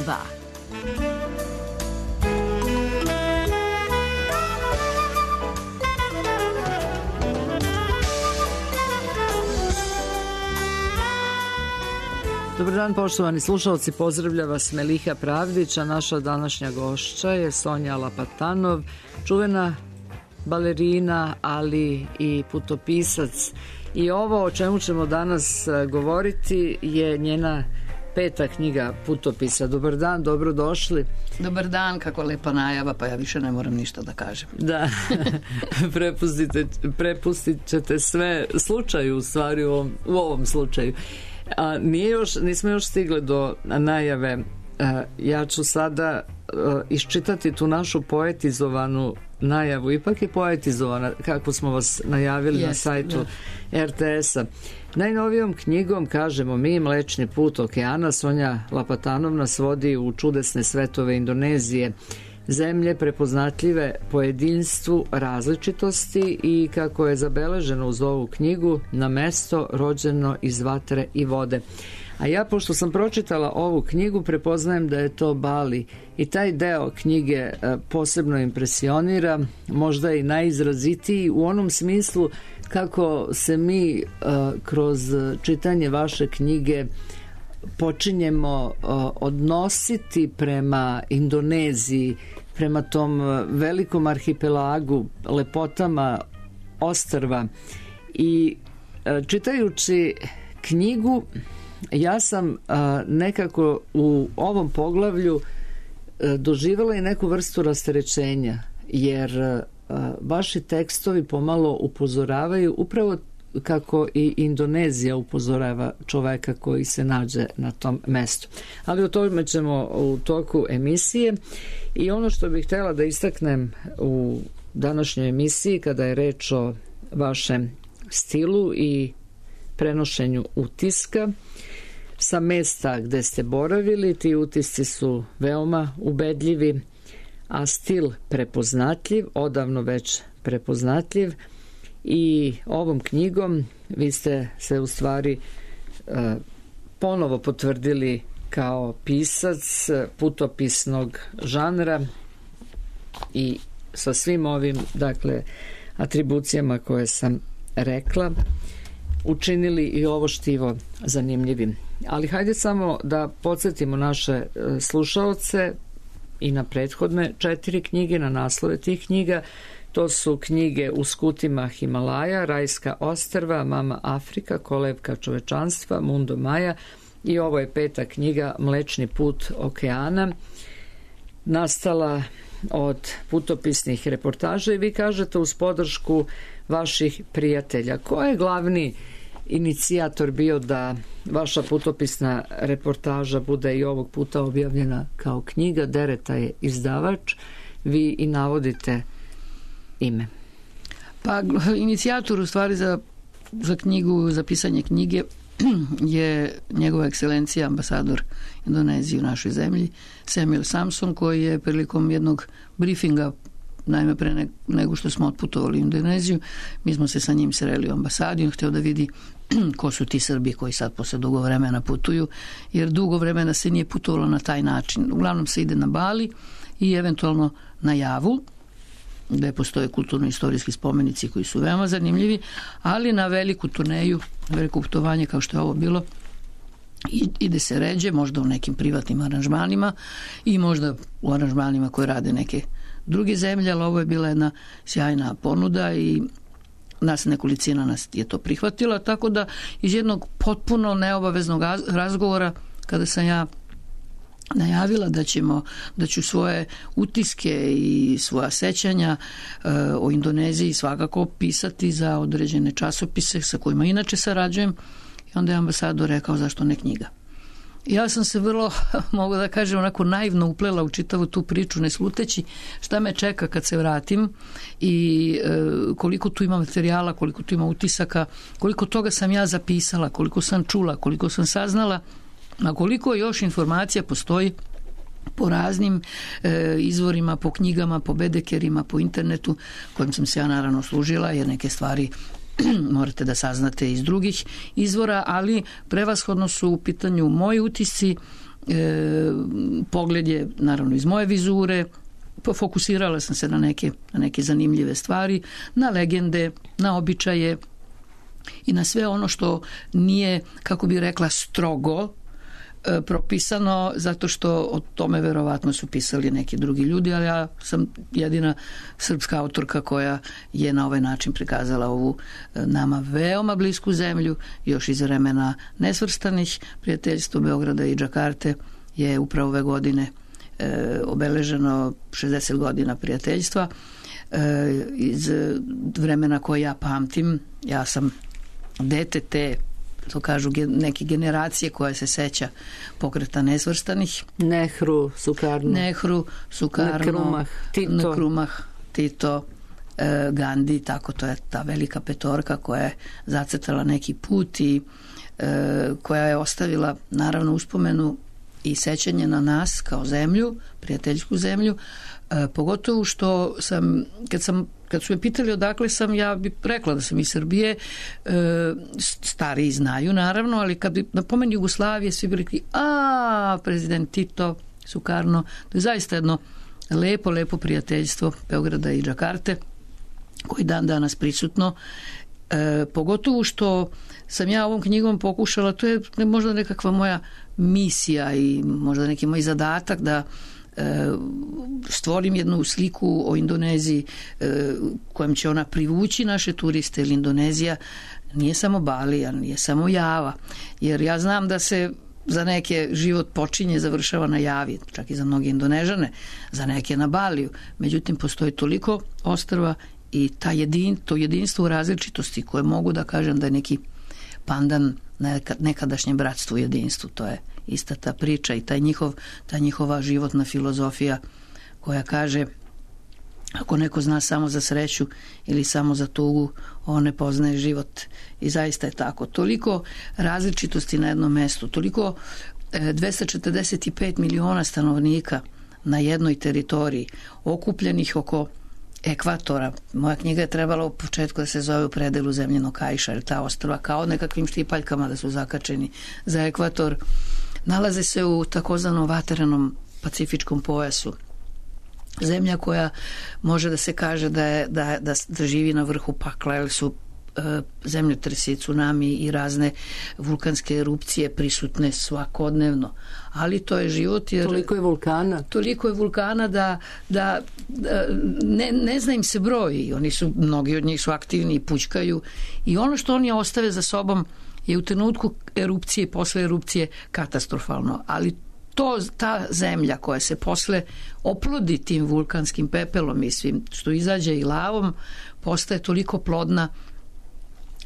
2. Dobar dan, poštovani slušalci, pozdravlja vas Meliha Pravdić, a naša današnja gošća je Sonja Lapatanov, čuvena balerina, ali i putopisac. I ovo o čemu ćemo danas govoriti je njena 5. knjiga putopisa. Dobar dan, dobrodošli. Dobar dan, kako lepa najava, pa ja više ne moram ništa da kažem. Da, prepustit ćete sve slučaju, u stvari u ovom slučaju. Nismo još stigli do najave. Ja ću sada iščitati tu našu poetizovanu najavu. Ipak je poetizovana, kako smo vas najavili na sajtu RTS-a. Najnovijom knjigom, kažemo mi, Mlečni put okeana, Sonja Lapatanov nas vodi u čudesne svetove Indonezije, zemlje prepoznatljive po jedinstvu različitosti i, kako je zabeleženo uz ovu knjigu, na mesto rođeno iz vatre i vode. A ja, pošto sam pročitala ovu knjigu, prepoznajem da je to Bali i taj deo knjige posebno impresionira, možda i najizrazitiji u onom smislu kako se mi kroz čitanje vaše knjige počinjemo odnositi prema Indoneziji, prema tom velikom arhipelagu, lepotama ostrva. I čitajući knjigu, ja sam nekako u ovom poglavlju doživjela i neku vrstu rasterećenja, jer vaši tekstovi pomalo upozoravaju upravo kako i Indonezija upozorava čoveka koji se nađe na tom mestu. Ali o tome ćemo u toku emisije. I ono što bih htjela da istaknem u današnjoj emisiji, kada je reč o vašem stilu i prenošenju utiska sa mesta gde ste boravili, ti utisci su veoma ubedljivi, a stil prepoznatljiv, odavno već prepoznatljiv. I ovom knjigom vi ste se u stvari ponovo potvrdili kao pisac putopisnog žanra i sa svim ovim, dakle, atribucijama koje sam rekla, učinili i ovo štivo zanimljivim. Ali hajde samo da podsjetimo naše slušaoce i na prethodne 4 knjige, na naslove tih knjiga. To su knjige U skutima Himalaja, Rajska ostrva, Mama Afrika, Kolevka čovečanstva, Mundo Maja, i ovo je 5. knjiga Mlečni put okeana, nastala od putopisnih reportaža i vi kažete uz podršku vaših prijatelja. Ko je glavni inicijator bio da vaša putopisna reportaža bude i ovog puta objavljena kao knjiga? Dereta je izdavač, vi i navodite ime. Pa inicijator u stvari za knjigu, za pisanje knjige je njegova ekscelencija ambasador Indonezije u našoj zemlji, Samuel Samson, koji je prilikom jednog briefinga, naime pre nego što smo otputovali u Indoneziju, mi smo se sa njim sreli u ambasadi, on htio da vidi ko su ti Srbi koji sad posle dugo vremena putuju, jer dugo vremena se nije putovalo na taj način. Uglavnom se ide na Bali i eventualno na Javu, gde postoje kulturno-istorijski spomenici koji su veoma zanimljivi, ali na veliku turneju, na veliko putovanje kao što je ovo bilo, ide se ređe, možda u nekim privatnim aranžmanima i možda u aranžmanima koje rade neke druge zemlje, ali ovo je bila jedna sjajna ponuda i nas nekolicina nas je to prihvatila, tako da iz jednog potpuno neobaveznog razgovora, kada sam ja najavila da ću svoje utiske i svoja sećanja o Indoneziji svakako pisati za određene časopise sa kojima inače sarađujem, i onda je ambasador rekao zašto ne knjiga. Ja sam se vrlo, mogu da kažem, onako naivno uplela u čitavu tu priču, ne sluteći šta me čeka kad se vratim i koliko tu ima materijala, koliko tu ima utisaka, koliko toga sam ja zapisala, koliko sam čula, koliko sam saznala, a koliko još informacija postoji po raznim izvorima, po knjigama, po bedekerima, po internetu, kojim sam se ja naravno služila, jer neke stvari morate da saznate iz drugih izvora, ali prevashodno su u pitanju moji utisci pogled je naravno iz moje vizure, fokusirala sam se na neke zanimljive stvari, na legende, na običaje i na sve ono što nije, kako bi rekla, strogo propisano, zato što o tome verovatno su pisali neki drugi ljudi, ali ja sam jedina srpska autorka koja je na ovaj način prikazala ovu nama veoma blisku zemlju, još iz vremena nesvrstanih. Prijateljstvo Beograda i Džakarte je upravo ove godine obeleženo 60 godina prijateljstva. Iz vremena koje ja pamtim, ja sam dete te, to kažu neke generacije koja se seća pokreta nesvrstanih. Nehru, Sukarno, Nkrumah, Tito, Gandhi, tako to je ta velika petorka koja je zacrtala neki put i koja je ostavila naravno uspomenu i sećanje na nas kao zemlju, prijateljsku zemlju, pogotovo što sam, kad su me pitali odakle sam, ja bih rekla da sam iz Srbije, stariji znaju naravno, ali kad bi napomeni Jugoslavije, svi bi rekli, prezident Tito, Sukarno, to je zaista jedno lepo prijateljstvo Beograda i Džakarte, koji dan danas prisutno, pogotovo što sam ja ovom knjigom pokušala, to je možda nekakva moja misija i možda neki moj zadatak da stvorim jednu sliku o Indoneziji kojem će ona privući naše turiste, jer Indonezija nije samo Bali, a nije samo Java, jer ja znam da se za neke život počinje, završava na Javi, čak i za mnoge Indonežane, za neke na Baliju, međutim postoji toliko ostrva i to jedinstvo u različitosti koje mogu da kažem da je neki pandan nekadašnjem bratstvu i jedinstvu. To je ista ta priča i ta njihova životna filozofija koja kaže, ako neko zna samo za sreću ili samo za tugu, on ne poznaje život. I zaista je tako. Toliko različitosti na jednom mestu, toliko 245 miliona stanovnika na jednoj teritoriji, okupljenih oko ekvatora. Moja knjiga je trebala u početku da se zove U predelu zemljenog kaiša, jer ta ostrva kao nekakvim štipaljkama da su zakačeni za ekvator, nalaze se u takozvanom vaterenom pacifičkom pojasu. Zemlja koja može da se kaže da živi na vrhu pakla, jer su zemljotresi, tsunami i razne vulkanske erupcije prisutne svakodnevno. Ali to je život, jer toliko je vulkana da ne zna im se broj. Mnogi od njih su aktivni i pućkaju i ono što oni ostave za sobom je u trenutku erupcije i posle erupcije katastrofalno. Ali ta zemlja koja se posle oplodi tim vulkanskim pepelom i svim što izađe i lavom, postaje toliko plodna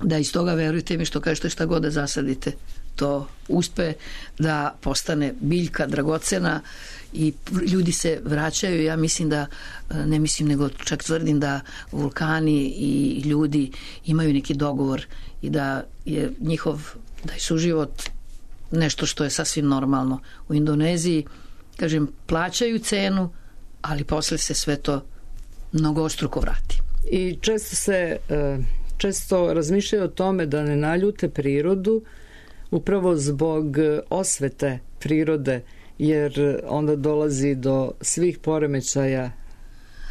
da iz toga, verujte mi, što kažete, šta god da zasadite, to uspe da postane biljka dragocena i ljudi se vraćaju. Ja mislim ne mislim, nego čak tvrdim da vulkani i ljudi imaju neki dogovor i da je suživot nešto što je sasvim normalno. U Indoneziji, kažem, plaćaju cenu, ali posle se sve to mnogostruko vrati. I često razmišljaju o tome da ne naljute prirodu upravo zbog osvete prirode, jer onda dolazi do svih poremećaja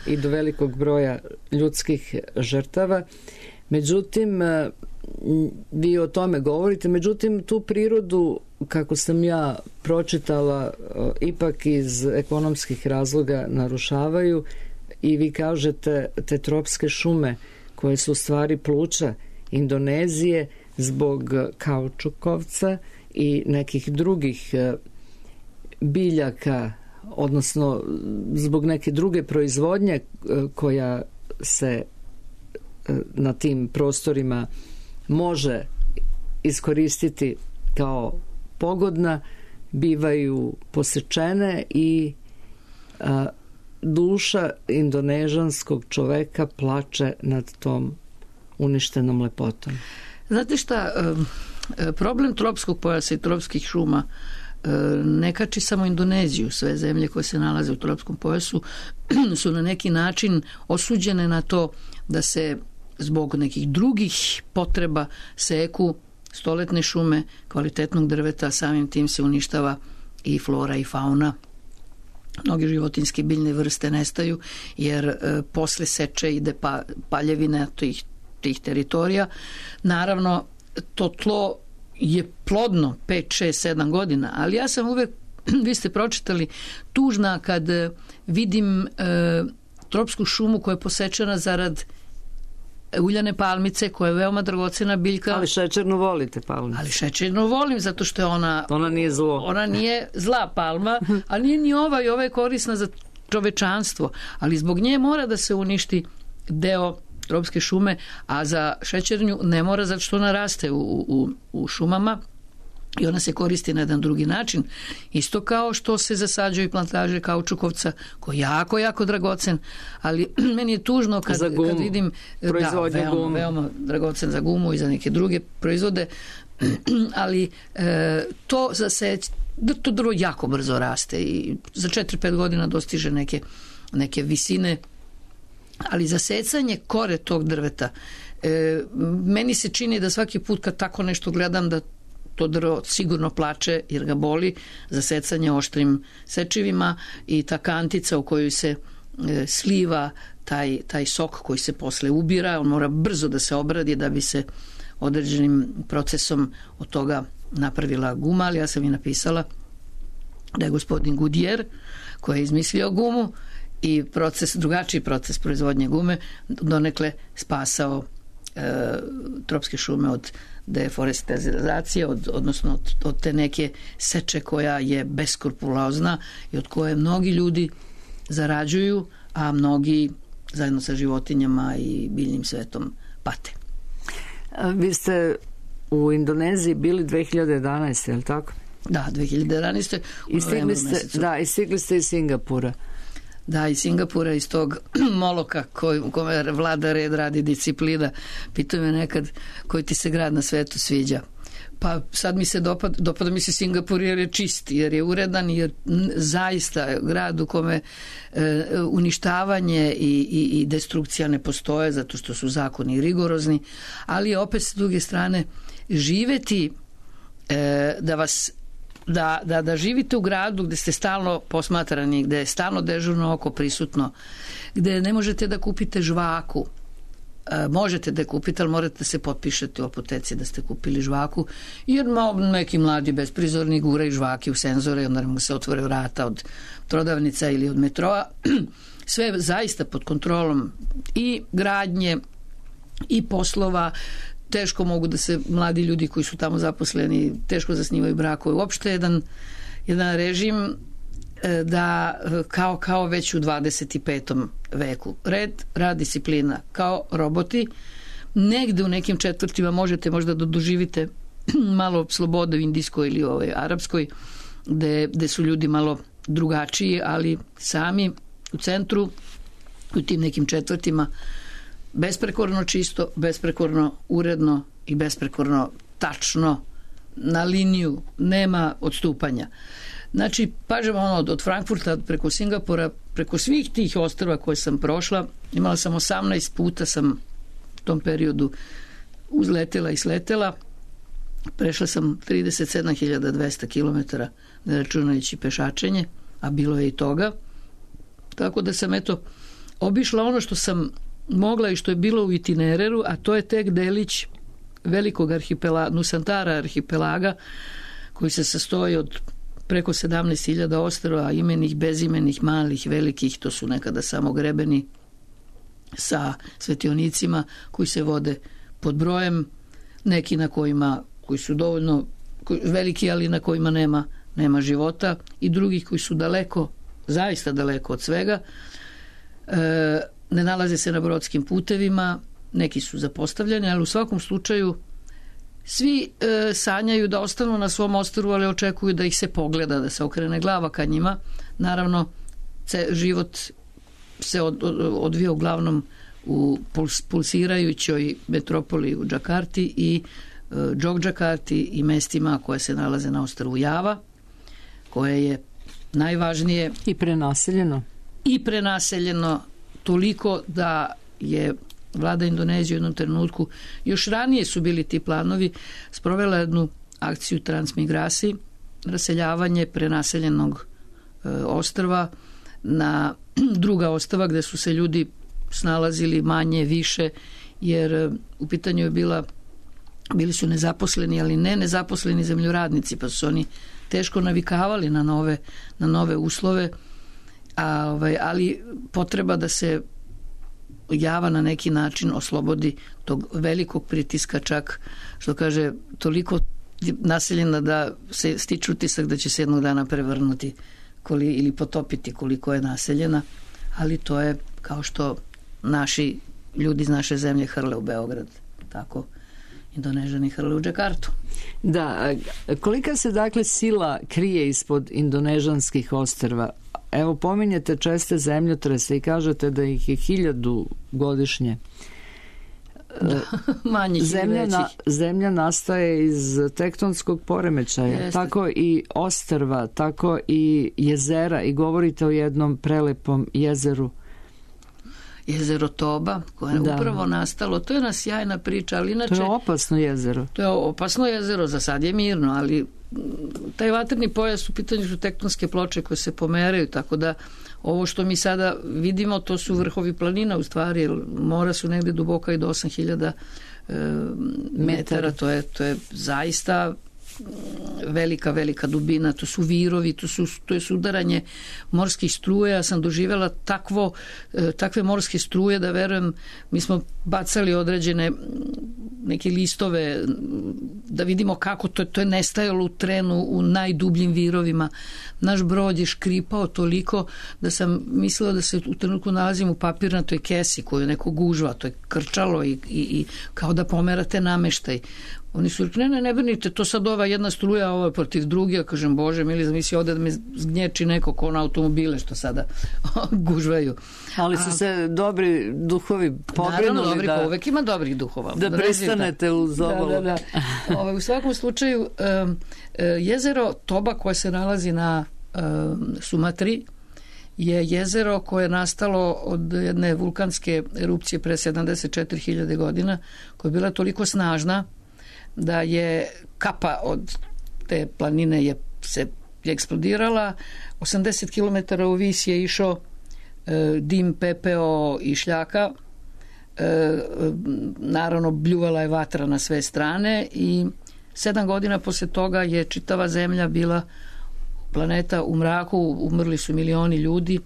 i do velikog broja ljudskih žrtava. Međutim, vi o tome govorite, međutim tu prirodu, kako sam ja pročitala, ipak iz ekonomskih razloga narušavaju i vi kažete te tropske šume koje su u stvari pluća Indonezije zbog kaučukovca i nekih drugih biljaka, odnosno zbog neke druge proizvodnje koja se na tim prostorima može iskoristiti kao pogodna, bivaju posečene i duša indonežanskog čoveka plače nad tom uništenom lepotom. Znate šta, problem tropskog pojasa i tropskih šuma ne kači samo Indoneziju. Sve zemlje koje se nalaze u tropskom pojasu su na neki način osuđene na to da se zbog nekih drugih potreba seku stoletne šume kvalitetnog drveta, samim tim se uništava i flora i fauna. Mnoge životinjske biljne vrste nestaju jer posle seče ide paljevina tih teritorija. Naravno, to tlo je plodno 5, 6, 7 godina, ali ja sam uvek, vi ste pročitali, tužna kad vidim tropsku šumu koja je posečena zarad uljane palmice, koja je veoma dragocena biljka. Ali šećernu volite palmicu. Ali šećernu volim, zato što je ona nije zlo. Ona nije zla palma, ali nije ni ova je korisna za čovečanstvo. Ali zbog nje mora da se uništi deo tropske šume, a za šećernju ne mora, zato što ona raste u šumama i ona se koristi na jedan drugi način. Isto kao što se zasađuju plantaže kaučukovca, koji je jako, jako dragocen, ali meni je tužno kad vidim veoma dragocen za gumu i za neke druge proizvode, ali to to drvo jako brzo raste i za 4-5 godina dostiže neke visine, ali za secanje kore tog drveta meni se čini da svaki put kad tako nešto gledam da to drvo sigurno plače jer ga boli za secanje oštrim sečivima i ta kantica u kojoj se sliva taj sok koji se posle ubira, on mora brzo da se obradi da bi se određenim procesom od toga napravila guma, ali ja sam i napisala da je gospodin Goodyear koji je izmislio gumu i drugačiji proces proizvodnje gume donekle spasao tropske šume od deforestacije, odnosno od te neke seče koja je beskrupulozna i od koje mnogi ljudi zarađuju, a mnogi zajedno sa životinjama i biljnim svetom pate. Vi ste u Indoneziji bili 2011. je li tako? Da, 2011. I stigli ste iz Singapura. Da, iz Singapura, iz tog moloka u kome vlada red, radi disciplina. Pitaju me nekad koji ti se grad na svetu sviđa. Pa sad mi se dopada mi se Singapur jer je čist, jer je uredan, jer zaista grad u kome uništavanje i destrukcija ne postoje zato što su zakoni rigorozni, ali opet s druge strane živeti da živite u gradu gde ste stalno posmatrani, gde je stalno dežurno oko prisutno, gde ne možete da kupite žvaku, možete da je kupite, ali morate da se potpišete u apoteci da ste kupili žvaku, jer neki mladi besprizorni guraju žvake u senzore i onda mu se otvore vrata od prodavnica ili od metroa. Sve zaista pod kontrolom i gradnje i poslova. Teško mogu da se mladi ljudi koji su tamo zaposleni teško zasnivaju brakove. Uopšte jedan režim da kao već u 25. veku. Rad, disciplina, kao roboti. Negde u nekim četvrtima možete možda da doživite malo slobode u indijskoj ili arapskoj, gde su ljudi malo drugačiji, ali sami u centru, u tim nekim četvrtima besprekorno čisto, besprekorno uredno i besprekorno tačno na liniju, nema odstupanja. Znači, pažemo od Frankfurta preko Singapura, preko svih tih ostrva koje sam prošla, imala sam 18 puta sam u tom periodu uzletela i sletela, prešla sam 37.200 km, ne računajući pešačenje, a bilo je i toga. Tako da sam obišla ono što sam mogla i što je bilo u itinereru, a to je tek delić velikog Nusantara arhipelaga koji se sastoji od preko 17.000 ostrva, imenih, bezimenih, malih, velikih, to su nekada samo grebeni sa svetionicima koji se vode pod brojem, neki koji su dovoljno veliki, ali na kojima nema života, i drugih koji su daleko, zaista daleko od svega. Ne nalaze se na brodskim putevima, neki su zapostavljeni, ali u svakom slučaju svi sanjaju da ostanu na svom ostrvu, ali očekuju da ih se pogleda, da se okrene glava ka njima. Naravno, život se odvija uglavnom u pulsirajućoj metropoli u Džakarti i Džokđakarti i mestima koje se nalaze na ostrvu Java, koje je najvažnije i prenaseljeno toliko da je vlada Indonezije u jednom trenutku, još ranije su bili ti planovi, sprovela jednu akciju transmigraciji raseljavanje prenaseljenog ostrva na druga ostrva gde su se ljudi snalazili manje, više, jer u pitanju je bili su nezaposleni, ali ne nezaposleni zemljoradnici, pa su oni teško navikavali na nove uslove, ali potreba da se Java na neki način oslobodi tog velikog pritiska, čak što kaže toliko naseljena da se stiče utisak da će se jednog dana prevrnuti ili potopiti koliko je naseljena, ali to je kao što naši ljudi iz naše zemlje hrle u Beograd, tako Indonežani hrle u Džakartu. Da, kolika se dakle sila krije ispod indonežanskih ostrva? Evo, pominjete česte zemljotrese i kažete da ih je 1000 godišnje. Da, manjih i većih. Zemlja nastaje iz tektonskog poremećaja. Jeste. Tako i ostrva, tako i jezera, i govorite o jednom prelepom jezeru. Jezero Toba, koje je upravo nastalo. To je jedna sjajna priča, ali inače... To je opasno jezero. To je opasno jezero, za sad je mirno, ali taj vatreni pojas u pitanju su tektonske ploče koje se pomeraju, tako da ovo što mi sada vidimo, to su vrhovi planina u stvari, jer mora su negde duboka i do 8000 metara, to je zaista velika dubina, to su virovi, to je sudaranje morskih struje. Ja sam doživjela takve morske struje da verujem, mi smo bacali određene neke listove da vidimo kako to je nestajalo u trenu u najdubljim virovima. Naš brod je škripao toliko da sam mislila da se u trenutku nalazim u papirnatoj kesi koju neko gužva, to je krčalo i kao da pomerate nameštaj. Oni su rekli, ne brinite, to sad ova jedna struja, ovo je protiv druge. Ja kažem, Bože mili, zamisli ovde da me zgnječi neko ko na automobile što sada gužvaju. Ali su se dobri duhovi pobrinuli da... Uvek ima dobrih duhova. Da pristanete uz obalu. Da. U svakom slučaju, jezero Toba koje se nalazi na Sumatri je jezero koje je nastalo od jedne vulkanske erupcije pre 74.000 godina, koja je bila toliko snažna da je kapa od te planine se eksplodirala, 80 km u vis je išao dim, pepeo i šljaka, naravno bljuvala je vatra na sve strane i 7 godina posle toga je čitava zemlja bila planeta u mraku, umrli su milioni ljudi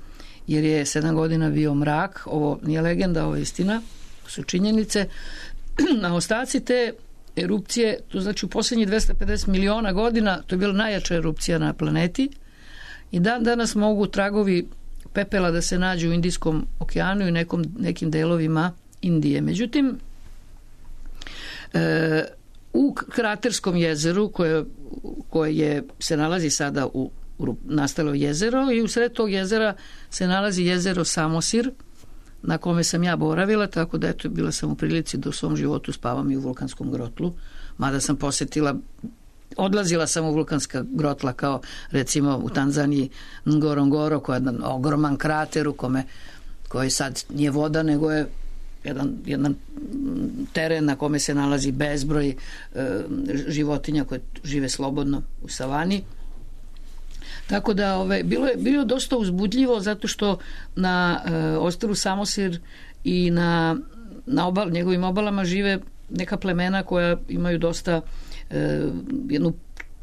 jer je 7 godina bio mrak. Ovo nije legenda, ovo je istina, su činjenice. Na ostaci te erupcije, to znači u posljednjih 250 miliona godina, to je bila najjača erupcija na planeti i danas mogu tragovi pepela da se nađu u Indijskom okeanu i nekim delovima Indije. Međutim, u kraterskom jezeru koje se nalazi sada u nastalo jezero i u sred tog jezera se nalazi jezero Samosir na kome sam ja boravila, tako da eto, bila sam u prilici da u svom životu spavam i u vulkanskom grotlu, mada sam odlazila sam u vulkanska grotla kao recimo u Tanzaniji Ngorongoro, koja je jedan ogroman krater u koji sad nije voda, nego je jedan teren na kome se nalazi bezbroj životinja koje žive slobodno u savani. Tako da bilo dosta uzbudljivo zato što na ostrvu Samosir i na njegovim obalama žive neka plemena koja imaju dosta jednu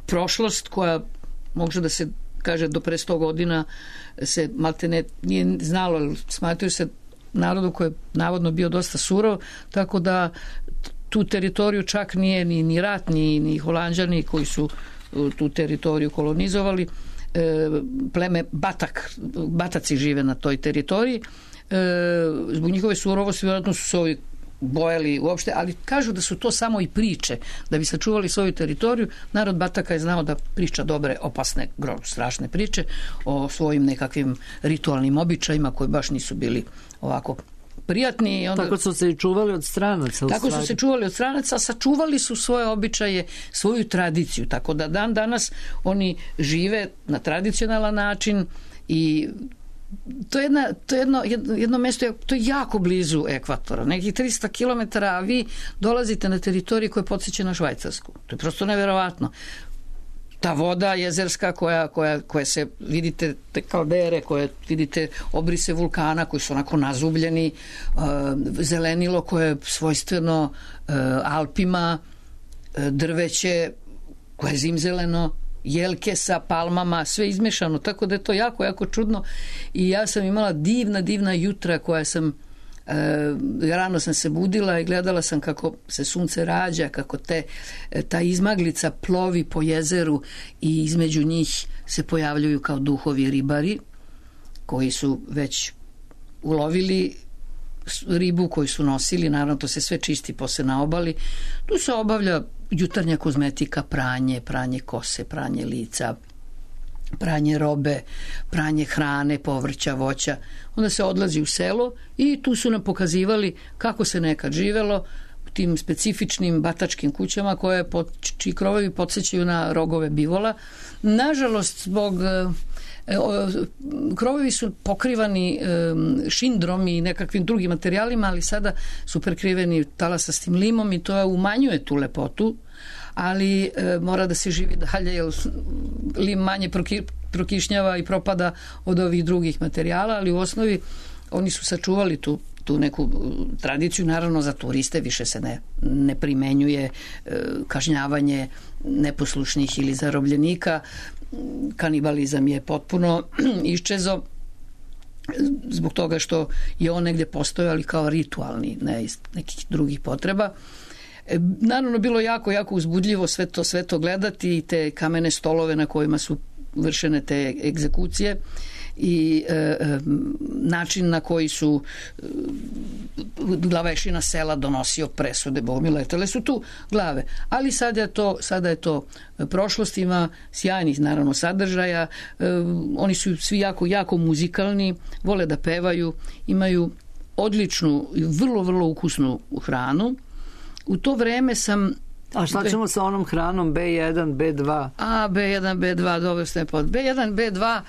prošlost koja može da se kaže do pre 100 godina se maltene nije znalo, smatraju se narodu koji je navodno bio dosta surov, tako da tu teritoriju čak nije ni rat, ni Holanđani koji su tu teritoriju kolonizovali. Pleme Bataci žive na toj teritoriji. Zbog njihove surovosti vjerojatno su se ovi bojali uopšte, ali kažu da su to samo i priče da bi sačuvali svoju teritoriju. Narod Bataka je znao da priča dobre, opasne, strašne priče o svojim nekakvim ritualnim običajima koji baš nisu bili ovako prijatni. Tako su se i čuvali od stranaca. Tako su se čuvali od stranaca, sačuvali su svoje običaje, svoju tradiciju, tako da danas oni žive na tradicionalan način i to je jedno mesto, to je jako blizu ekvatora, nekih 300 km, a vi dolazite na teritoriju koja podsjeća na Švajcarsku. To je prosto neverovatno. ta voda jezerska koja se, vidite te kaldere, koje vidite obrise vulkana koji su onako nazubljeni, zelenilo koje je svojstveno Alpima, drveće koje je zimzeleno, jelke sa palmama, sve izmešano, tako da je to jako, jako čudno. I ja sam imala divna jutra koja sam rano sam se budila i gledala sam kako se sunce rađa, kako ta izmaglica plovi po jezeru i između njih se pojavljuju kao duhovi ribari koji su već ulovili ribu koju su nosili, naravno to se sve čisti posle na obali. Tu se obavlja jutarnja kozmetika, pranje kose, pranje lica, pranje robe, pranje hrane, povrća, voća. Onda se odlazi u selo i tu su nam pokazivali kako se nekad živelo u tim specifičnim batačkim kućama čiji krovovi podsjećaju na rogove bivola. Nažalost, zbog krovovi su pokrivani šindrom i nekakvim drugim materijalima, ali sada su prekriveni talasastim limom i to umanjuje tu lepotu, ali mora da se živi dalje jer lim manje prokišnjava i propada od ovih drugih materijala, ali u osnovi oni su sačuvali tu neku tradiciju. Naravno za turiste više se ne primenjuje kažnjavanje neposlušnih ili zarobljenika. Kanibalizam je potpuno iščezao zbog toga što je on negdje postojao, ali kao ritualni, ne iz nekih drugih potreba. Naravno bilo jako uzbudljivo sve to gledati i te kamene stolove na kojima su vršene te egzekucije i način na koji su glavešina sela donosio presude, bomi letele su tu glave, ali sada je to prošlost, ima sjajnih naravno sadržaja, oni su svi jako muzikalni, vole da pevaju, imaju odličnu i vrlo ukusnu hranu. U to vreme sam... A šta ćemo sa onom hranom B1, B2? B1, B2, dobro ste pod B1, B2,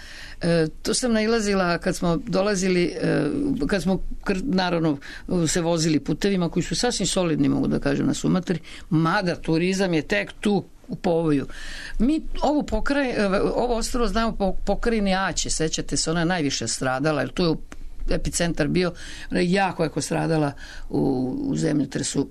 to sam nailazila kad smo dolazili, kad smo naravno se vozili putevima koji su sasvim solidni, mogu da kažem, na Sumatri, mada turizam je tek tu u povoju. Mi ovo ostrvo znamo po pokrajini Aće, sećate se, ona je najviše stradala, jer tu je epicentar bio, jako stradala u zemljotresu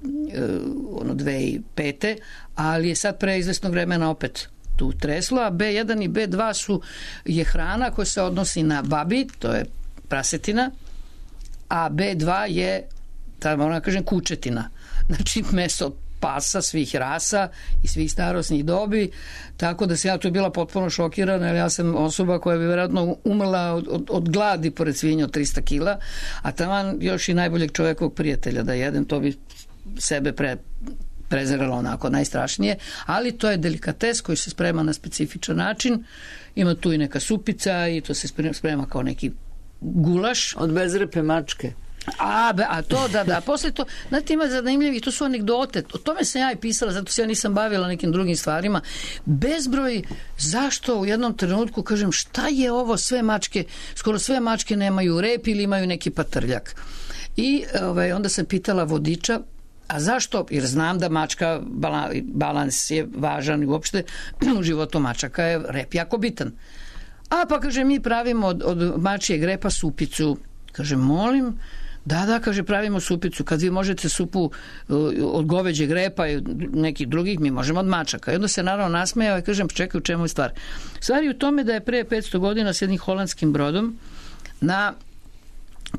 2005. ali je sad pre izvesnog vremena opet tu treslo, a B1 i B2 je hrana koja se odnosi na babi, to je prasetina, a B2 je, moram da kažem, kučetina. Znači meso pasa svih rasa i svih starosnih dobi, tako da sam ja tu bila potpuno šokirana, jer ja sam osoba koja bi vjerojatno umrla od gladi pored svinja od 300 kila, a taman još i najboljeg čovjekovog prijatelja da jedem, to bi sebe prezeralo onako najstrašnije, ali to je delikates koji se sprema na specifičan način, ima tu i neka supica i to se sprema kao neki gulaš. Od bezrepe mačke. A to, da, posle to, znate, ima zanimljivi, to su anegdote, o tome sam ja i pisala, zato se ja nisam bavila nekim drugim stvarima, bezbroj, zašto u jednom trenutku, kažem, šta je ovo, skoro sve mačke nemaju rep ili imaju neki patrljak. I onda sam pitala vodiča, a zašto? Jer znam da mačka, balans je važan i uopšte u životu mačaka je rep jako bitan. Pa kaže, mi pravimo od mačijeg repa supicu. Kaže, molim, da, kaže, pravimo supicu. Kad vi možete supu od goveđeg repa i nekih drugih, mi možemo od mačaka. I onda se naravno nasmejao i kažem, čekaj, u čemu je stvar? Stvar je u tome da je pre 500 godina s jednim holandskim brodom na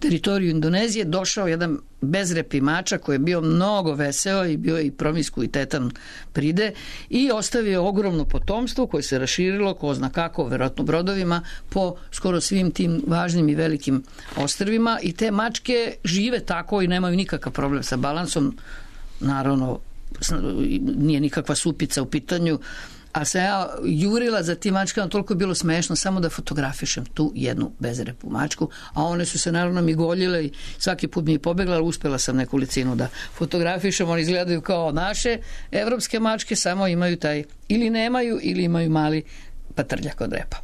teritoriju Indonezije došao jedan bezrepi mačak koji je bio mnogo veseo i bio i promiskuitetan pride i ostavio ogromno potomstvo koje se raširilo, ko zna kako, verovatno brodovima, po skoro svim tim važnim i velikim ostrvima i te mačke žive tako i nemaju nikakav problem sa balansom, naravno nije nikakva supica u pitanju, a sam ja jurila za tim mačkama, toliko je bilo smešno samo da fotografišem tu jednu bezrepu mačku, a one su se naravno migoljile i svaki put mi je pobegla, ali uspela sam nekolicinu da fotografišem, oni izgledaju kao naše evropske mačke, samo imaju taj, ili nemaju, ili imaju mali patrljak od repa.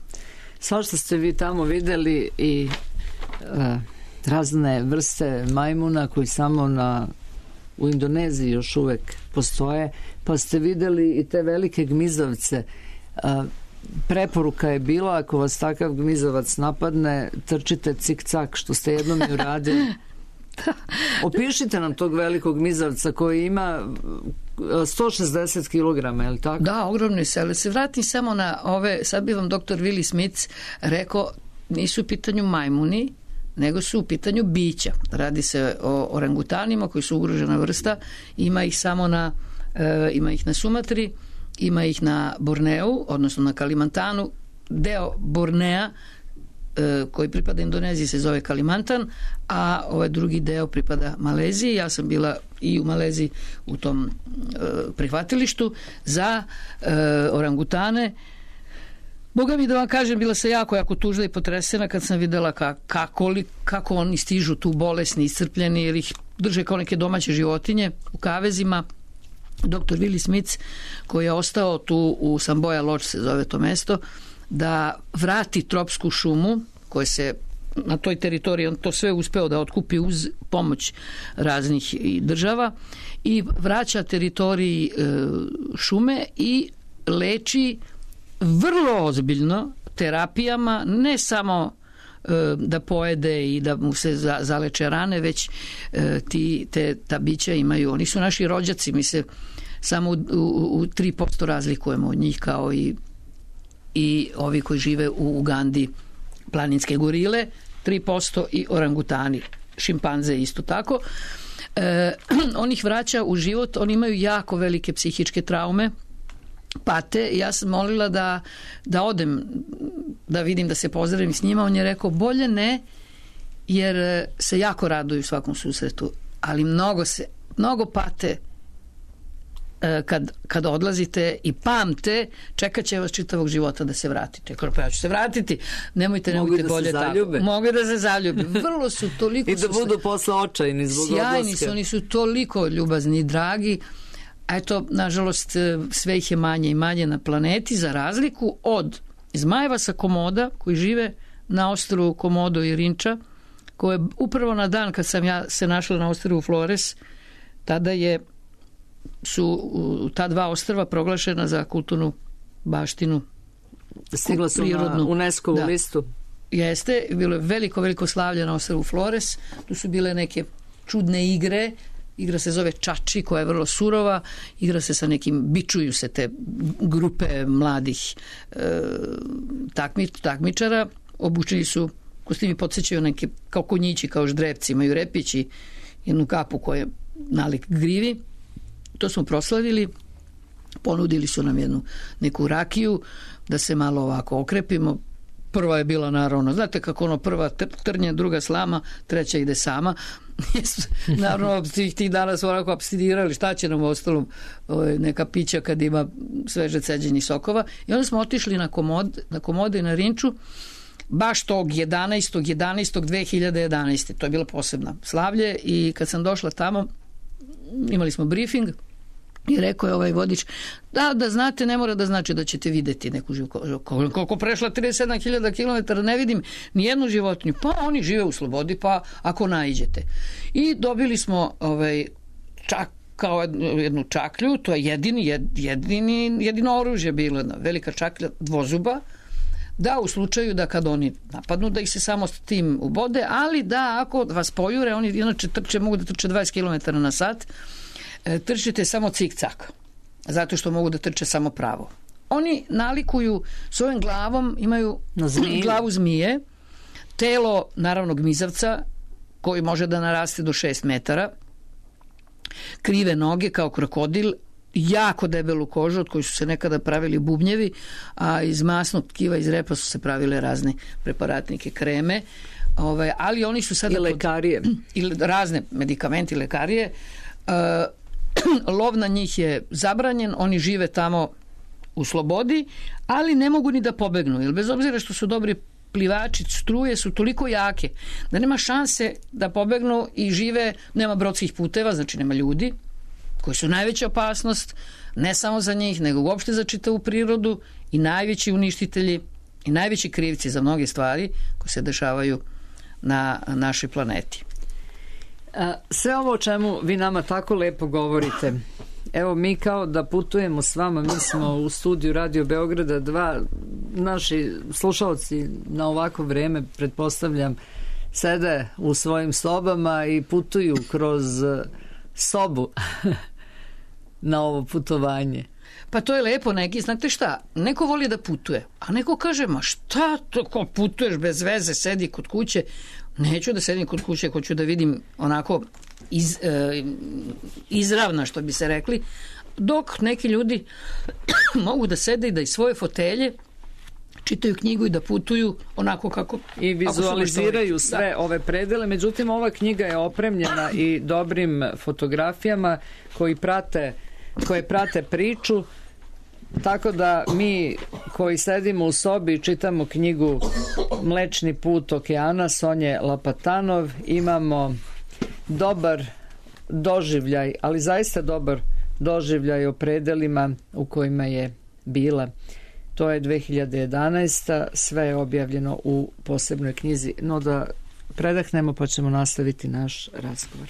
Svašta ste vi tamo videli i razne vrste majmuna koji samo u Indoneziji još uvek postoje, pa ste videli i te velike gmizavce. preporuka je bila, ako vas takav gmizavac napadne, trčite cik-cak, što ste jednom i uradili. Opišite nam tog velikog gmizavca koji ima 160 kg, je li tako? Da, ogromne sele. Se vratim samo na ove, sad bi vam doktor Willi Smith rekao, nisu u pitanju majmuni, nego su u pitanju bića. Radi se o orangutanima koji su ugrožena vrsta, ima ih samo ima ih na Sumatri, ima ih na Borneu, odnosno na Kalimantanu. Deo Bornea koji pripada Indoneziji se zove Kalimantan, a ovaj drugi deo pripada Maleziji. Ja sam bila i u Maleziji u tom prihvatilištu za orangutane. Boga mi da vam kažem, bila sam jako tužna i potresena kad sam videla kako oni stižu tu bolesni, iscrpljeni, jer ih drže kao neke domaće životinje u kavezima. Dr. Willi Smith, koji je ostao tu u Samboja Lodge, se zove to mesto, da vrati tropsku šumu, koje se na toj teritoriji, on to sve uspeo da otkupi uz pomoć raznih država, i vraća teritoriji šume i leči vrlo ozbiljno terapijama, ne samo da pojede i da mu se zaleče rane, već ta bića imaju, oni su naši rođaci, mi se samo u 3% razlikujemo od njih, kao i ovi koji žive u Ugandi, planinske gorile 3% i orangutani, šimpanze isto tako. On ih vraća u život, oni imaju jako velike psihičke traume, pate. Ja sam molila da odem, da vidim, da se pozdravim s njima. On je rekao, bolje ne, jer se jako raduju svakom susretu, ali mnogo pate kad odlazite i pamte, čekat će vas čitavog života da se vratite. Pa ja ću se vratiti, nemojte bolje tako. Mogu da se zaljube. Vrlo su toliko... I da budu posle očajni zbog odlaska. Sjajni su, oni su toliko ljubazni i dragi. Eto, nažalost, sve ih je manje i manje na planeti, za razliku od zmajeva sa Komoda, koji žive na ostrvu Komodo i Rinča, koje upravo na dan kad sam ja se našla na ostrvu Flores, tada su ta dva ostrva proglašena za kulturnu baštinu. Stigla su na UNESCO-vu listu. Jeste, bilo je veliko slavlje na ostrvu Flores. Tu su bile neke čudne igre. Igra se zove Čači, koja je vrlo surova. Igra se sa nekim, bičuju se te grupe mladih takmičara. Obučeni su, kostimi podsjećaju neke kao konjići, kao ždrevci, imaju repići, jednu kapu koja je nalik grivi. To smo proslavili, ponudili su nam neku rakiju da se malo ovako okrepimo. Prva je bila naravno, znate kako prva trnje, druga slama, treća ide sama. Naravno, tih dana su onako abstinirali, šta će nam u ostalom neka pića kad ima sveže ceđenih sokova. I onda smo otišli na Komode i na Rinču, baš tog 11.11.2011. To je bila posebna slavlje i kad sam došla tamo, imali smo briefing i rekao je ovaj vodič, da znate, ne mora da znači da ćete videti neku životinju. Koliko prešla 37.000 km, ne vidim ni jednu životinju. Pa oni žive u slobodi, pa ako naiđete. I dobili smo kao jednu čaklju, to je jedino oružje bilo, jedna velika čaklja dvozuba, da u slučaju da kad oni napadnu, da ih se samo s tim ubode, ali da ako vas pojure, oni inače mogu da trče 20 km na sat, trčite samo cik-cak, zato što mogu da trče samo pravo. Oni nalikuju svojom glavom, imaju glavu zmije, telo naravno gmizavca, koji može da naraste do 6 metara, krive noge kao krokodil, jako debelu kožu od koji su se nekada pravili bubnjevi, a iz masnog tkiva, iz repa su se pravile razne preparatnike, kreme, ali oni su sada... I lekarije. I razne medikamenti, lekarije. Lov na njih je zabranjen, oni žive tamo u slobodi, ali ne mogu ni da pobegnu, jer bez obzira što su dobri plivači, struje su toliko jake da nema šanse da pobegnu i žive, nema brodskih puteva, znači nema ljudi, koji su najveća opasnost, ne samo za njih, nego uopšte za čitavu prirodu i najveći uništitelji i najveći krivci za mnoge stvari koje se dešavaju na našoj planeti. Sve ovo o čemu vi nama tako lepo govorite evo mi kao da putujemo s vama, mi smo u studiju Radio Beograda 2, naši slušalci na ovako vreme, pretpostavljam, sede u svojim sobama i putuju kroz sobu na ovo putovanje. Pa to je lepo, neki, znate šta, neko voli da putuje, a neko kaže, ma šta to, ko putuješ bez veze, sedi kod kuće. Neću da sedim kod kuće, hoću da vidim onako izravna, što bi se rekli, dok neki ljudi mogu da sede i da iz svoje fotelje čitaju knjigu i da putuju onako kako... I vizualiziraju sve ove predele. Međutim, ova knjiga je opremljena i dobrim fotografijama koje prate priču, tako da mi koji sedimo u sobi i čitamo knjigu Mlečni put okeana Sonje Lapatanov imamo dobar doživljaj, ali zaista dobar doživljaj o predelima u kojima je bila. To je 2011. Sve je objavljeno u posebnoj knjizi. No da predahnemo pa ćemo nastaviti naš razgovor.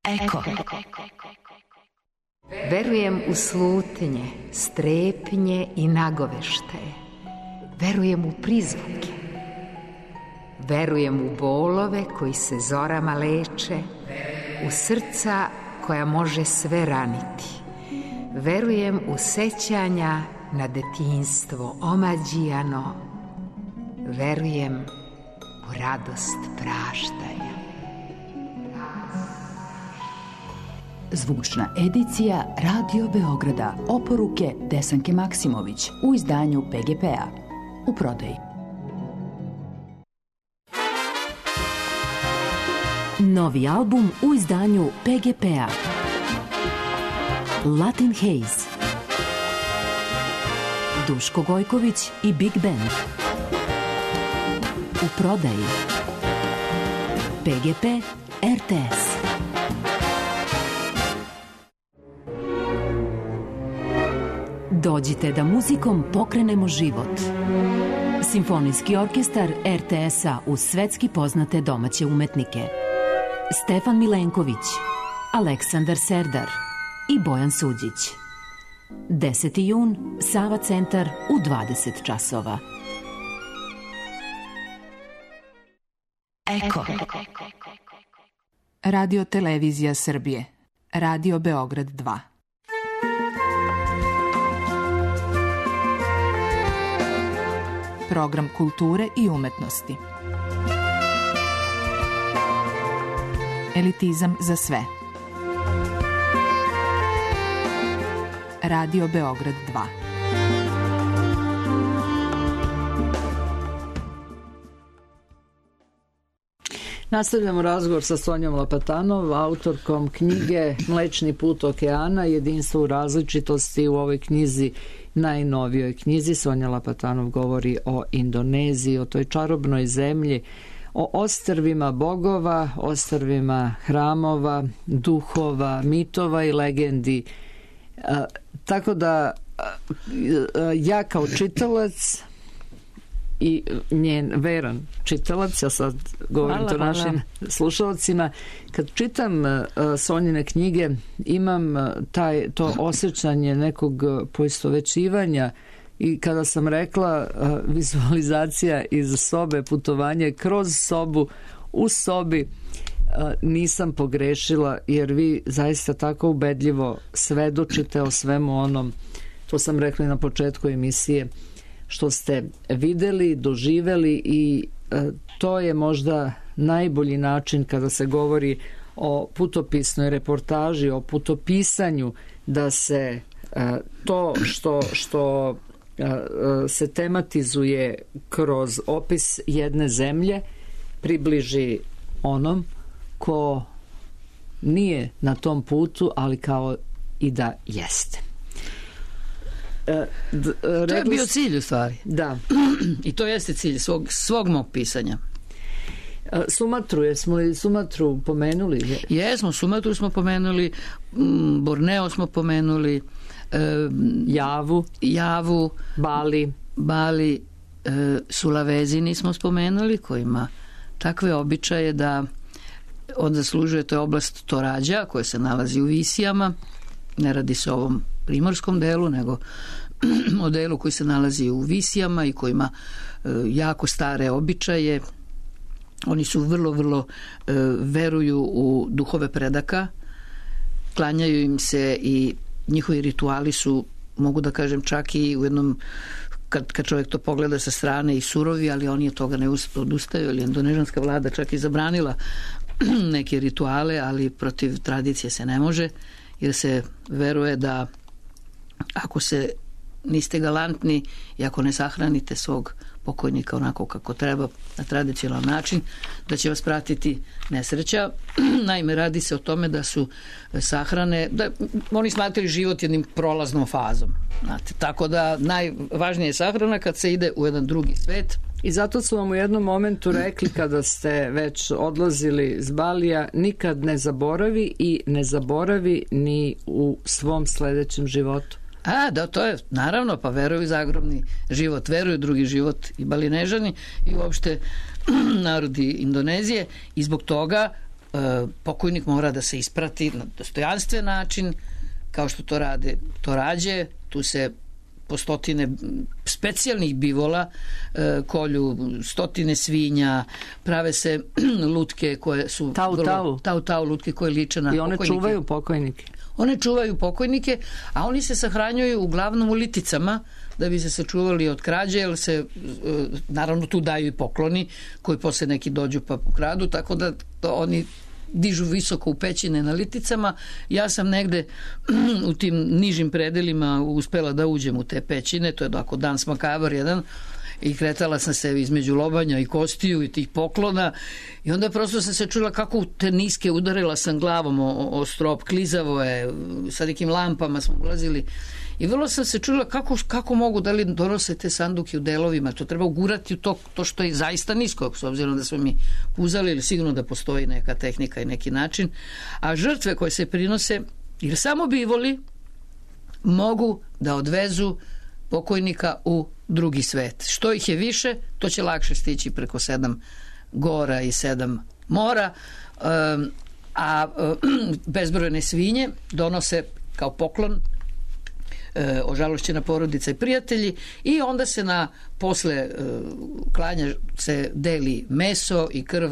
Eko. Verujem u slutnje, strepnje i nagoveštaje. Verujem u prizvuke. Verujem u bolove koji se zorama leče, u srca koja može sve raniti. Verujem u sećanja na detinjstvo omađijano. Verujem u radost praštanja. Zvučna edicija Radio Beograda. Oporuke Desanke Maksimović u izdanju PGP-a. U prodaji. Novi album u izdanju PGP-a. Latin Haze. Duško Gojković i Big Band. U prodaji PGP RTS. Dođite da muzikom pokrenemo život. Simfonijski orkestar RTS-a uz svetski poznate domaće umetnike. Stefan Milenković, Aleksandar Serdar i Bojan Suđić. 10. jun, Sava centar u 20 časova. Eko. Radio Televizija Srbije. Radio Beograd 2. Program kulture i umetnosti. Elitizam za sve. Radio Beograd 2. Nastavljamo razgovor sa Sonjom Lapatanov, autorkom knjige Mlečni put okeana, jedinstvo u različitosti. U ovoj knjizi, najnovijoj knjizi, Sonja Lapatanov govori o Indoneziji, o toj čarobnoj zemlji, o ostrvima bogova, ostrvima hramova, duhova, mitova i legendi. Tako da ja kao čitalac i njen veran čitalac, ja sad govorim to našim slušalcima, kad čitam Sonjine knjige imam to osjećanje nekog poistovećivanja. I kada sam rekla vizualizacija iz sobe, putovanje kroz sobu, u sobi, nisam pogrešila, jer vi zaista tako ubedljivo svedočite o svemu onom, to sam rekla na početku emisije, što ste videli, doživeli, i to je možda najbolji način kada se govori o putopisnoj reportaži, o putopisanju, da se to što se tematizuje kroz opis jedne zemlje približi onom ko nije na tom putu, ali kao i da jeste. To je bio cilj u stvari. Da. I to jeste cilj svog mog pisanja. Sumatru, jesmo li Sumatru pomenuli? Jesmo, Sumatru smo pomenuli, Borneo smo pomenuli, Javu, Bali, Sulawesi nismo spomenuli, koji ima takve običaje da on zaslužuje, to je oblast Torađa koja se nalazi u Visijama. Ne radi se o ovom primorskom delu, nego o delu koji se nalazi u Visijama i koji ima jako stare običaje. Oni su vrlo veruju u duhove predaka, klanjaju im se i njihovi rituali su, mogu da kažem, čak i u jednom, kad čovjek to pogleda sa strane, i surovi, ali oni od toga ne odustaju, ali indonežanska vlada čak i zabranila neke rituale, ali protiv tradicije se ne može, jer se veruje da ako se niste galantni i ako ne sahranite svog pokojnika onako kako treba, na tradicionalan način, da će vas pratiti nesreća. Naime, radi se o tome da su sahrane, da oni smatraju život jednim prolaznom fazom. Znate, tako da najvažnije je sahrana kad se ide u jedan drugi svet. I zato su vam u jednom momentu rekli, kada ste već odlazili s Balija, nikad ne zaboravi i ne zaboravi ni u svom sledećem životu. Da, to je, naravno, pa veruju zagrobni život, veruju drugi život i Balinežani i uopšte narodi Indonezije, i zbog toga pokojnik mora da se isprati na dostojanstven način, kao što to rade Torađe. Tu se po stotine specijalnih bivola kolju, stotine svinja, prave se lutke koje su tau lutke koje liče na pokojnike. I one čuvaju pokojnike. One čuvaju pokojnike, a oni se sahranjuju uglavnom u liticama da bi se sačuvali od krađe, jer se naravno tu daju i pokloni koji posle neki dođu pa ukradu, tako da oni dižu visoko u pećine na liticama. Ja sam negde u tim nižim predelima uspela da uđem u te pećine, to je tako dan smakavar jedan, i kretala sam se između lobanja i kostiju i tih poklona i onda prosto sam se čula kako u te niske udarila sam glavom o strop, klizavo je, sa nekim lampama smo ulazili i vrlo sam se čula kako mogu da li donose te sanduke u delovima, to treba ugurati u to što je zaista nisko, s obzirom da smo mi puzali, ili sigurno da postoji neka tehnika i neki način, a žrtve koje se prinose, jer samo bivoli mogu da odvezu pokojnika u drugi svet. Što ih je više, to će lakše stići preko 7 gora i 7 mora, a bezbrojne svinje donose kao poklon ožalošćena porodica i prijatelji i onda se posle klanja se deli meso i krv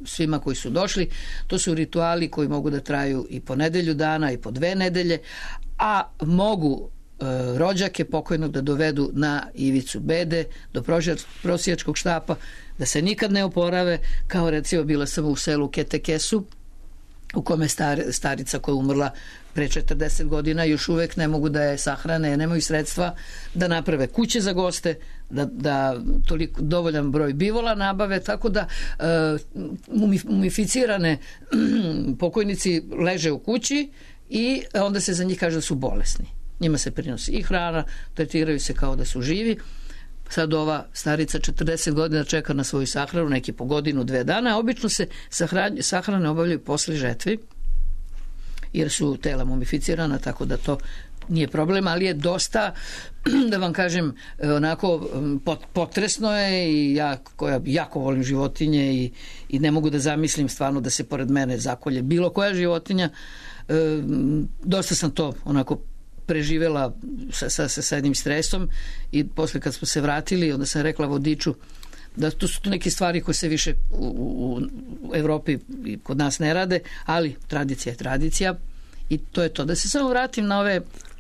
svima koji su došli. To su rituali koji mogu da traju i po nedelju dana i po 2 nedelje, a mogu rođake pokojnog da dovedu na ivicu bede, do prosjačkog štapa, da se nikad ne oporave, kao recimo bila sam u selu Ketekesu, u kome starica koja je umrla pre 40 godina još uvek ne mogu da je sahrane, nemaju sredstva da naprave kuće za goste, da toliko dovoljan broj bivola nabave, tako da mumificirane pokojnici leže u kući i onda se za njih kaže da su bolesni. Njima se prinosi i hrana, tretiraju se kao da su živi. Sad ova starica 40 godina čeka na svoju sahranu, neki po godinu, 2 dana, a obično se sahrane obavljaju posle žetvi, jer su tela mumificirana, tako da to nije problem, ali je dosta, da vam kažem, onako potresno je i ja koja jako volim životinje i ne mogu da zamislim stvarno da se pored mene zakolje bilo koja životinja. Dosta sam to onako preživela sa jednim stresom i posle kad smo se vratili, onda sam rekla vodiču da tu su neke stvari koje se više u Evropi i kod nas ne rade, ali tradicija je tradicija i to je to. Da se samo vratim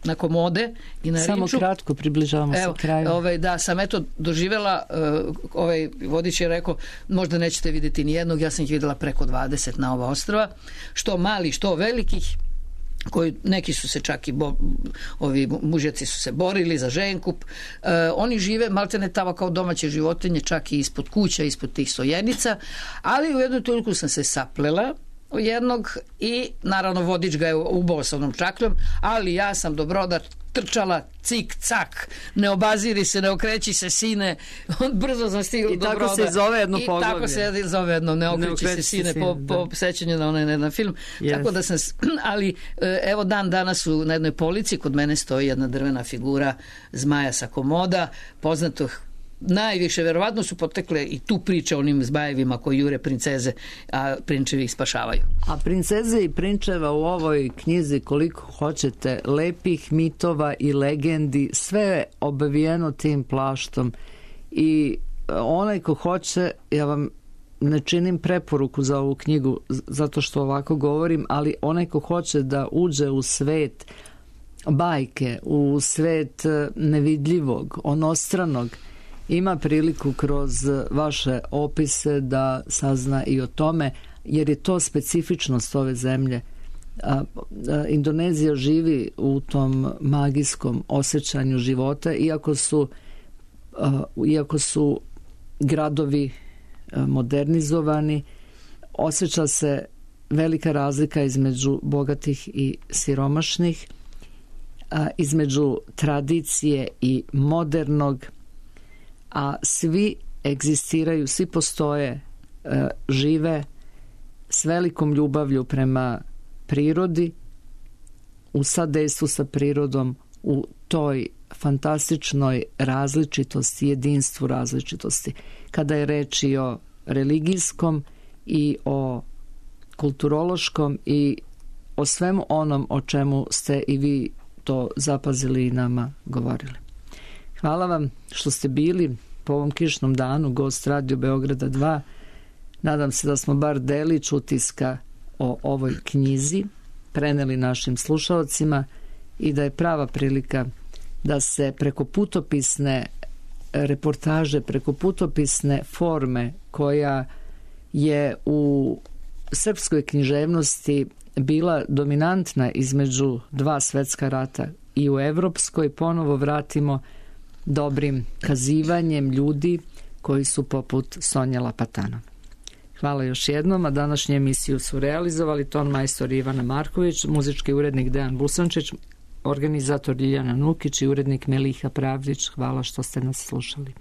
na komode i na samo riču. Kratko približavamo se kraju. Da, sam doživjela, vodič je rekao, možda nećete vidjeti ni jednog, ja sam ih vidjela preko 20 na ova ostrva, što mali, što velikih, koji neki su se čak i ovi mužjaci su se borili za ženkup. Oni žive maltene tamo kao domaće životinje, čak i ispod kuća, ispod tih stojenica, ali u jednu toliko sam se saplela u jednog i naravno vodič ga je ubao sa onom čakljom, ali ja sam dobrodar trčala cik cak, ne obaziri se, ne okreći se sine, on brzo sam stigla do broda. I tako se zove jedno poglavlje. I tako se zove jedno, ne okreći se sine, po sećanju na onaj jedan film. Yes. Tako da sam, ali evo danas na jednoj polici kod mene stoji jedna drvena figura zmaja sa komoda, poznatog najviše, verovatno su potekle i tu priče o onim zmajevima koji jure princeze, a prinčevi ih spašavaju. A princeze i prinčeva u ovoj knjizi koliko hoćete, lepih mitova i legendi, sve je obavijeno tim plaštom i onaj ko hoće, ja vam ne činim preporuku za ovu knjigu zato što ovako govorim, ali onaj ko hoće da uđe u svet bajke, u svet nevidljivog, onostranog, ima priliku kroz vaše opise da sazna i o tome, jer je to specifičnost ove zemlje. Indonezija živi u tom magijskom osjećanju života, iako su gradovi modernizovani, osjeća se velika razlika između bogatih i siromašnih, između tradicije i modernog, a svi egzistiraju, svi postoje, žive s velikom ljubavlju prema prirodi, u sadejstvu sa prirodom, u toj fantastičnoj različitosti, jedinstvu različitosti. Kada je reč i o religijskom i o kulturološkom i o svemu onom o čemu ste i vi to zapazili i nama govorili. Hvala vam što ste bili po ovom kišnom danu gost Radio Beograda 2. Nadam se da smo bar delić utiska o ovoj knjizi preneli našim slušaocima i da je prava prilika da se preko putopisne reportaže, preko putopisne forme koja je u srpskoj književnosti bila dominantna između 2 svetska rata i u evropskoj ponovo vratimo dobrim kazivanjem ljudi koji su poput Sonje Lapatanov. Hvala još jednom, a današnju emisiju su realizovali ton majstor Ivana Marković, muzički urednik Dejan Busančić, organizator Ljiljana Nukić i urednik Meliha Pravdić. Hvala što ste nas slušali.